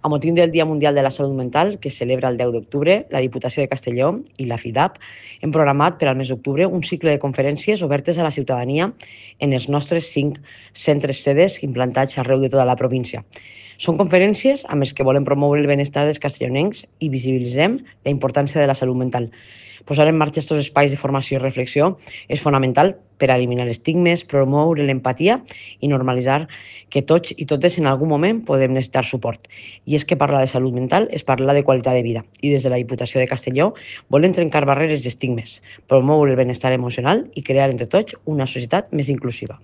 A motiu del Dia Mundial de la Salut Mental, que es celebra el 10 d'octubre, la Diputació de Castelló i la FIDAP hem programat per al mes d'octubre un cicle de conferències obertes a la ciutadania en els nostres 5 centres sedes implantats arreu de tota la província. Són conferències amb les que volem promoure el benestar dels castellonencs i visibilitzem la importància de la salut mental. Posar en marxa aquests espais de formació i reflexió és fonamental per a eliminar estigmes, promoure l'empatia i normalitzar que tots i totes en algun moment podem necessitar suport. I és que parlar de salut mental és parlar de qualitat de vida. I des de la Diputació de Castelló volem trencar barreres i estigmes, promoure el benestar emocional i crear entre tots una societat més inclusiva.